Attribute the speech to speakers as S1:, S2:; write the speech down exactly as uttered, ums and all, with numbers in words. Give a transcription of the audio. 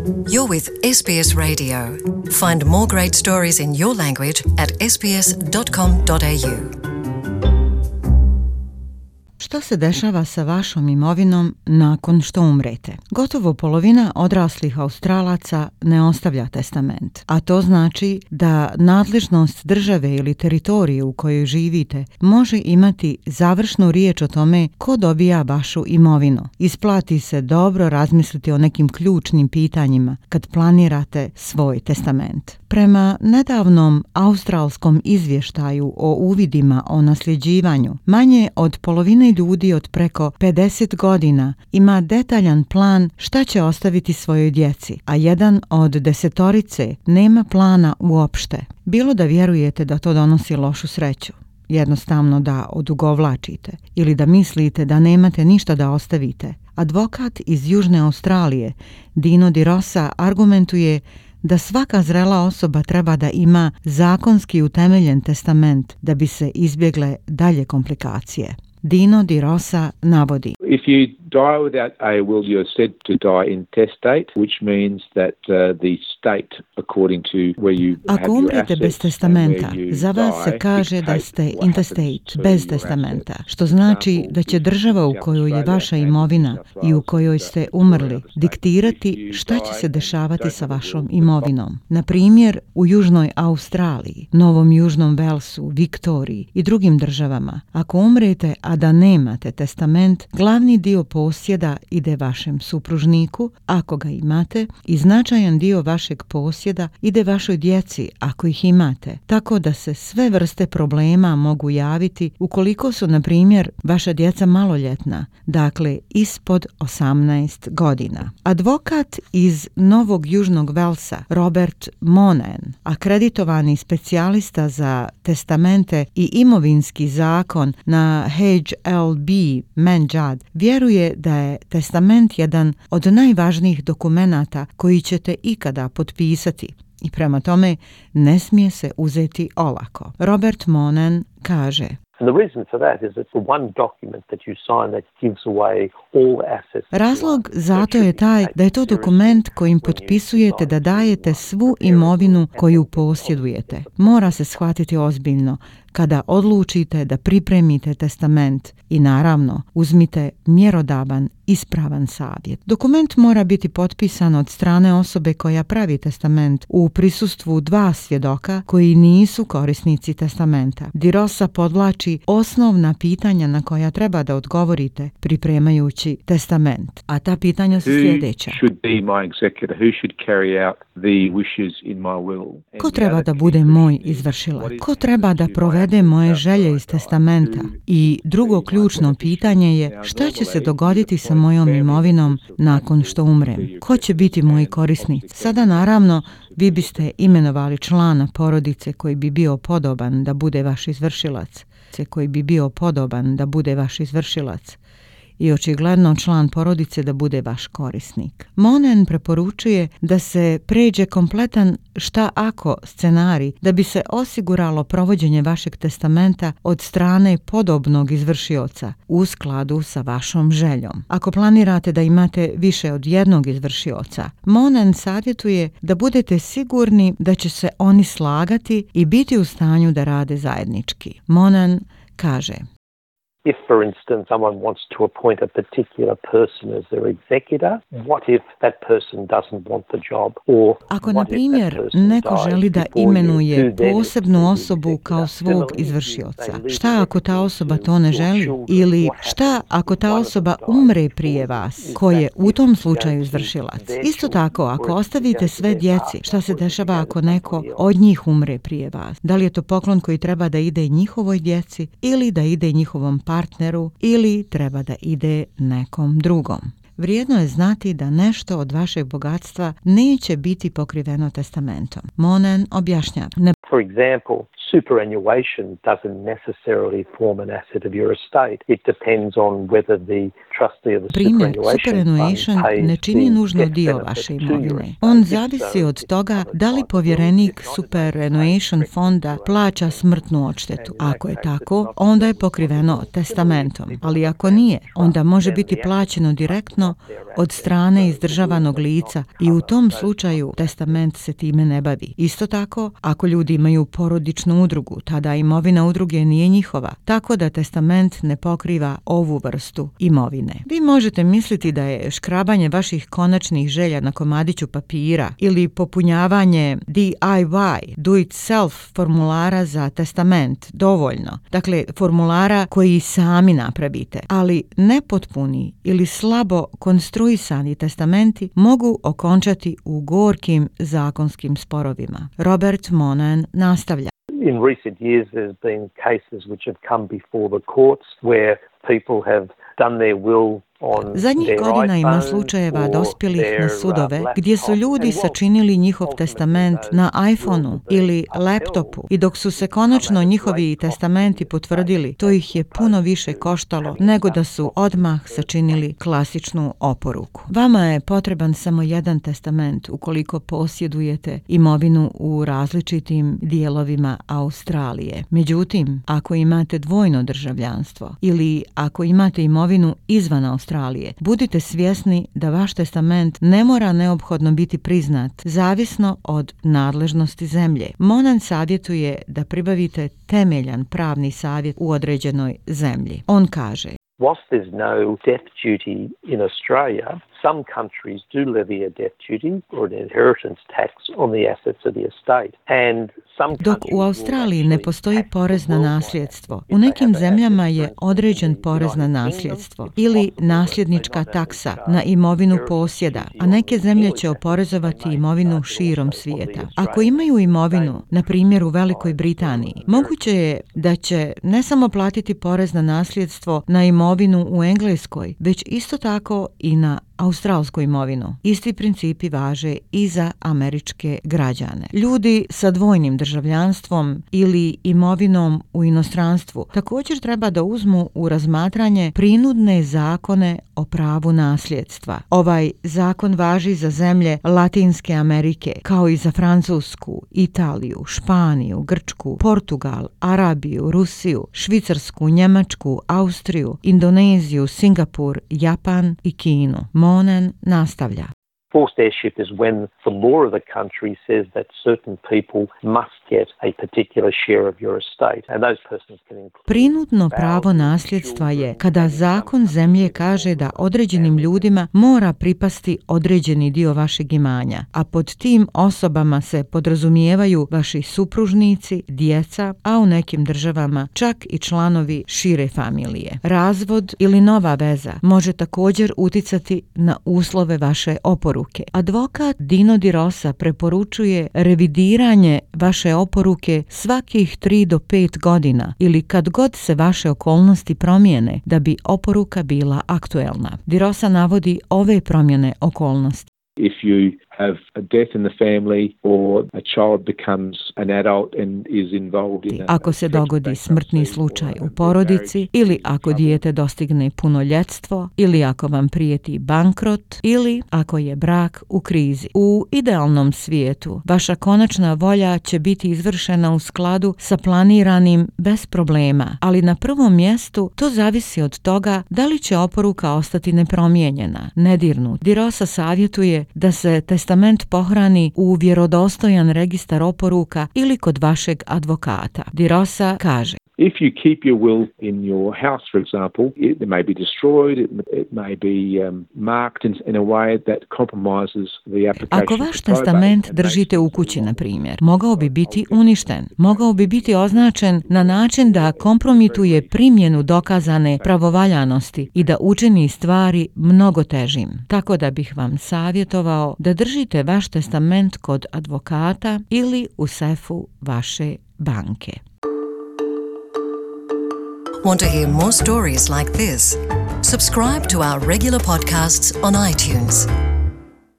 S1: You're with S B S Radio. Find more great stories in your language at s b s dot com dot a u. Što se dešava sa vašom imovinom nakon što umrete? Gotovo polovina odraslih Australaca ne ostavlja testament, a to znači da nadležnost države ili teritorije u kojoj živite može imati završnu riječ o tome ko dobija vašu imovinu. Isplati se dobro razmisliti o nekim ključnim pitanjima kad planirate svoj testament. Prema nedavnom australskom izvještaju o uvidima o nasljeđivanju, manje od polovine ljudi od preko pedeset godina ima detaljan plan šta će ostaviti svojoj djeci, a jedan od desetorice nema plana uopšte. Bilo da vjerujete da to donosi lošu sreću, jednostavno da odugovlačite ili da mislite da nemate ništa da ostavite. Advokat iz Južne Australije, Dino Di Rosa, argumentuje da svaka zrela osoba treba da ima zakonski utemeljen testament da bi se izbjegle dalje komplikacije. Dino Di Rosa navodi:
S2: If you die without a will, you're said to die intestate, which means that uh, the state, according to where you have
S1: Ako
S2: your
S1: umrete
S2: assets
S1: bez testamenta,
S2: and where you
S1: za vas se
S2: die,
S1: kaže da
S2: dictate
S1: ste
S2: what
S1: intestate,
S2: happens to
S1: bez
S2: your
S1: testamenta,
S2: assets.
S1: što znači da će država u kojoj je vaša imovina i u kojoj ste umrli diktirati šta će se dešavati sa vašom imovinom. Na primjer, u Južnoj Australiji, Novom Južnom Velsu, Viktoriji i drugim državama, ako umrete, a da nemate testament, glavni dio posjeda ide vašem supružniku, ako ga imate, i značajan dio vašeg posjeda ide vašoj djeci, ako ih imate, tako da se sve vrste problema mogu javiti ukoliko su, na primjer, vaša djeca maloljetna, dakle ispod osamnaest godina. Advokat iz Novog Južnog Velsa, Robert Monen, akreditovani specijalista za testamente i imovinski zakon na H L B Menjad, vjeruje da je testament jedan od najvažnijih dokumenata koji ćete ikada potpisati i prema tome ne smije se uzeti olako. Robert Monen kaže:
S3: And the reason for that is it's the one document that you sign that gives away all assets.
S1: Razlog zato je taj da je to dokument kojim potpisujete da dajete svu imovinu koju posjedujete. Mora se shvatiti ozbiljno kada odlučite da pripremite testament i naravno uzmite mjerodavan, ispravan savjet. Dokument mora biti potpisan od strane osobe koja pravi testament u prisustvu dva svjedoka koji nisu korisnici testamenta. Di Rosa podvlači osnovna pitanja na koja treba da odgovorite pripremajući testament. A ta pitanja su sljedeća: ko treba da bude moj izvršilac? Ko treba da provede moje želje iz testamenta? I drugo ključno pitanje je: šta će se dogoditi sa mojom imovinom nakon što umrem? Ko će biti moji korisnici? Sada naravno vi biste imenovali člana porodice koji bi bio podoban da bude vaš izvršilac, koji bi bio podoban da bude vaš izvršilac i očigledno član porodice da bude vaš korisnik. Monen preporučuje da se pređe kompletan šta ako scenarij da bi se osiguralo provođenje vašeg testamenta od strane podobnog izvršioca u skladu sa vašom željom. Ako planirate da imate više od jednog izvršioca, Monen savjetuje da budete sigurni da će se oni slagati i biti u stanju da rade zajednički. Monen kaže:
S3: If, for instance, someone wants to appoint a particular person as their executor, what if that person doesn't want the job? Or
S1: Ako, na primjer, neko želi da imenuje posebnu osobu kao svog izvršioca, šta ako ta osoba to ne želi? Ili šta ako ta osoba umre prije vas? Ko je u tom slučaju izvršilac? Isto tako, ako ostavite sve djeci, šta se dešava ako neko od njih umre prije vas? Da li je to poklon koji treba da ide njihovoj djeci ili da ide njihovom partneru ili treba da ide nekom drugom? Vrijedno je znati da nešto od vašeg bogatstva neće biti pokriveno testamentom. Monen objašnjava: ne
S3: For example, superannuation doesn't necessarily form an asset of your estate. It depends on whether the trustee of the
S1: Primjer,
S3: superannuation
S1: superannuation
S3: fund
S1: ne
S3: pays
S1: čini
S3: the
S1: nužno
S3: death
S1: dio
S3: benefit
S1: vaše
S3: to your
S1: imovine.
S3: estate.
S1: On
S3: If so,
S1: zavisi od
S3: it's
S1: toga
S3: covered
S1: da li
S3: by the will.
S1: povjerenik
S3: If not, it
S1: superannuation
S3: may
S1: fonda
S3: directly
S1: plaća
S3: to
S1: smrtnu odštetu.
S3: And in that
S1: Ako je
S3: case,
S1: tako,
S3: it's not
S1: onda je
S3: responsible.
S1: pokriveno
S3: Similarly,
S1: testamentom,
S3: people
S1: ali
S3: who
S1: ako
S3: have
S1: nije,
S3: trust,
S1: onda može
S3: then
S1: biti
S3: the
S1: plaćeno
S3: assets
S1: direktno
S3: not their
S1: od
S3: assets.
S1: strane
S3: So
S1: izdržavanog
S3: the will does
S1: lica
S3: not
S1: i u
S3: cover
S1: tom
S3: those
S1: slučaju
S3: kinds of
S1: testament se time ne bavi. Isto tako, ako ljudi imaju porodičnu udrugu, tada imovina udruge nije njihova, tako da testament ne pokriva ovu vrstu imovine. Vi možete misliti da je škrabanje vaših konačnih želja na komadiću papira ili popunjavanje D I Y, do it self formulara za testament dovoljno. Dakle, formulara koji sami napravite, ali nepotpuni ili slabo konstruisani testamenti mogu okončati u gorkim zakonskim sporovima. Robert Monan nastavlja.
S3: In recent years, there's been cases which have come before the courts where people have done their will on
S1: Zadnjih
S3: their
S1: godina ima
S3: iPhone
S1: slučajeva
S3: or
S1: dospjelih
S3: their,
S1: na
S3: uh,
S1: sudove
S3: laptop.
S1: gdje su ljudi
S3: And while
S1: sačinili njihov
S3: ultimately
S1: testament
S3: those
S1: na
S3: wills
S1: iPhoneu
S3: have been
S1: ili
S3: upheld,
S1: laptopu i dok su se konačno njihovi testamenti potvrdili, to ih je puno više koštalo nego da su odmah sačinili klasičnu oporuku. Vama je potreban samo jedan testament ukoliko posjedujete imovinu u različitim dijelovima Australije. Međutim, ako imate dvojno državljanstvo ili ako imate imovinu izvan Australije, budite svjesni da vaš testament ne mora neophodno biti priznat, zavisno od nadležnosti zemlje. Monan savjetuje da pribavite temeljan pravni savjet u određenoj zemlji. On kaže:
S3: Whilst there's no death duty in Australia, some countries do levy a death duty or an inheritance tax on the assets of the estate. And some
S1: Dok u Australiji ne postoji porez na nasljedstvo, u nekim zemljama je određen porez na nasljedstvo ili nasljednička taksa na imovinu posjeda, a neke zemlje će oporezovati imovinu širom svijeta. Ako imaju imovinu, na primjer u Velikoj Britaniji, moguće je da će ne samo platiti porez na nasljedstvo na imovinu u Engleskoj, već isto tako i na australsku imovinu. Isti principi važe i za američke građane. Ljudi sa dvojnim državljanstvom ili imovinom u inostranstvu također treba da uzmu u razmatranje prinudne zakone o pravu nasljedstva. Ovaj zakon važi za zemlje Latinske Amerike, kao i za Francusku, Italiju, Španiju, Grčku, Portugal, Arabiju, Rusiju, Švicarsku, Njemačku, Austriju, Indoneziju, Singapur, Japan i Kinu. Monan nastavlja.
S3: Forced heirship is when the law of the country says that certain people must get a particular share of your estate, and those persons can include.
S1: Prinudno pravo nasljedstva je kada zakon zemlje kaže da određenim ljudima mora pripasti određeni dio vašeg imanja, a pod tim osobama se podrazumijevaju vaši supružnici, djeca, a u nekim državama čak i članovi šire familije. Razvod ili nova veza može također uticati na uslove vaše oporuke. Advokat Dino Di Rosa preporučuje revidiranje vaše oporuke svakih tri do pet godina ili kad god se vaše okolnosti promijene da bi oporuka bila aktuelna. Di Rosa navodi ove promjene okolnosti.
S2: If you have a death in the family or a child becomes an adult and is involved in a
S1: Ako se dogodi smrtni slučaj u porodici ili ako dijete dostigne punoljetstvo ili ako vam prijeti bankrot ili ako je brak u krizi. U idealnom svijetu vaša konačna volja će biti izvršena u skladu sa planiranim bez problema, ali na prvom mjestu to zavisi od toga da li će oporuka ostati nepromijenjena, nedirnut. Di Rosa savjetuje da se testament pohrani u vjerodostojan registar oporuka ili kod vašeg advokata. Di Rosa kaže:
S2: If you keep your will in your house, for example, it may be destroyed, it, it may be um, marked in, in a way that compromises the application.
S1: Ako vaš testament držite u kući, na primjer, mogao bi biti uništen, mogao bi biti označen na način da kompromituje primjenu dokazane pravovaljanosti i da učini stvari mnogo težim. Tako da bih vam savjetovao da držite vaš testament kod advokata ili u sefu vaše banke.
S4: Want to hear more stories like this? Subscribe to our regular podcasts on iTunes.